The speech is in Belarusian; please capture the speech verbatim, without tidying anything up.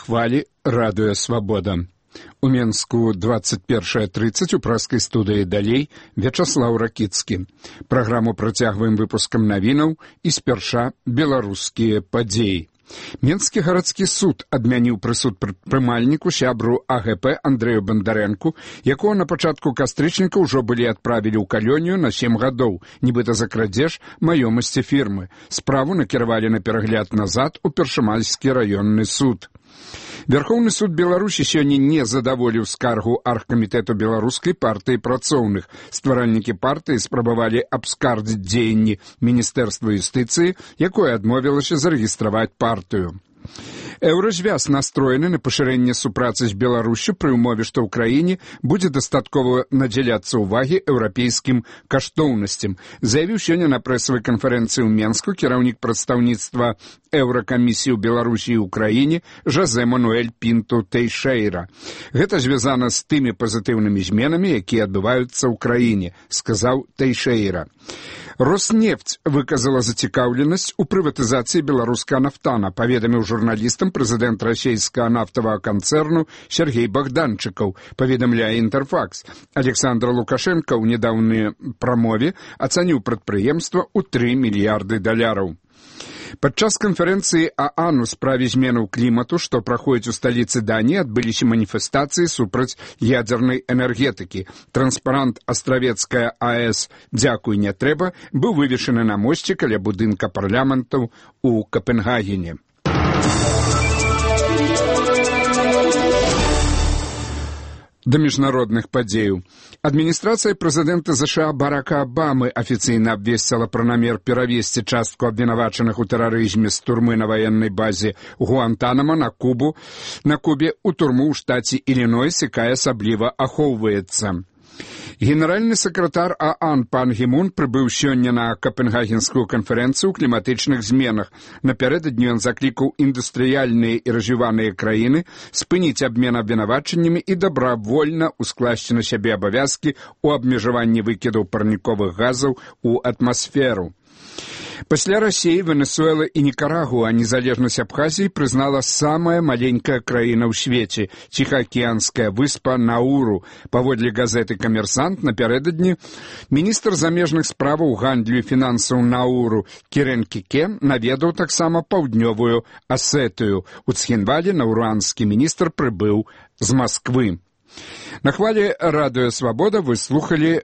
хвалі радыё «Свабода». У Менску двадцать першая тридцать у праскай студыі далей Вячаслаў Ракіцкі. Праграму працягваем выпускам навінаў і спярша беларускія падзеі. Менскі гарадскі суд адмяніў прысуд прымальніку сябру А Г П Андрэю Бандарэнку, якого на пачатку кастрычніка ўжо былі адправілі ў калонію на сем гадоў, нібыта за крадзеж маёмасці фірмы. Справу накіравалі на перагляд назад у Першамальскі раённы суд. Вярхоўны суд Беларусі сёння не задаволіў скаргу аргкамітэту беларускай партыі працоўных. Стваральнікі партыі спрабавалі абскардзіць дзеянні Міністэрства юстыцыі, якое адмовілася зарэгістраваць партыю. Еўразвяз настроены на пашырэнне супрацы з Беларуссю пры ўмове, што ў краіне будзе дастаткова надзяляцца ўвагі еўрапейскім каштоўнасцям, заявіў сёння на прэсавай канферэнцыі ў Менску кіраўнік прадстаўніцтва Еўракамісіі ў Беларусі і ўкраіне Жозе Мануэль Пінту Тэйшэйра. Гэта звязана з тымі пазітыўнымі зменамі, якія адбываюцца ў краіне, сказаў Тэйшэйра. Роснефть выказала зацікаўленасць у прыватызацыі беларускага нафтана, паведаміў журналістам прэзідэнт расійскага нафтавага канцэрну Сергей Богданчыкаў, паведамляе Інтэрфакс. Александр Лукашенко ў нядаўнай прамове ацаніў прадпрыемства ў тры мільярды даляраў. Падчас канферэнцыі ААН у справе зменаў клімату, што праходзіць у сталіцы Даніі, адбыліся маніфестацыі супраць ядзернай энергетыкі. Транспарант «Астравецкая А Э С «Дзякуй, не трэба» быў вывешаны на мосце каля будынка парламентаў у Капенгагене. Да міжнародных падзеяў. Адміністрацыя прэзідэнта ЗША Барака Абамы афіцыйна абвесціла пра намер перавесці частку абвінавачаных у тэрарызме з турмы на ваеннай базе Гуантанамо на Кубу, на Кубе ў турму ў штаце Ілінойс, якая асабліва ахоўваецца. Генеральны сакратар ААН пан Гімун прыбыў сёння на Капенгагенскую канферэнцыю ў кліматычных зменах. Напярэдадні ён заклікаў індустрыяльныя і развіваныя краіны спыніць абмен абвінавачаннямі і добравольна ускласці на сябе абавязкі ў абмежаванні выкідаў парніковых газаў у атмасферу. Пасля Расіі, Венесуэлы і Нікарагуа незалежнасць Абхазіі прызнала самая маленькая краіна ў свеце – ціхаакіянская выспа Науру. Паводле газеты «Камерсант» напярэдадні міністр замежных справаў, гандлю і фінансаў Науру Кірен Кіке наведаў таксама паўднёвую Асетыю. У Цхінвале наўруанскі міністр прыбыў з Масквы. На хвале радыё «Свабода» вы слухалі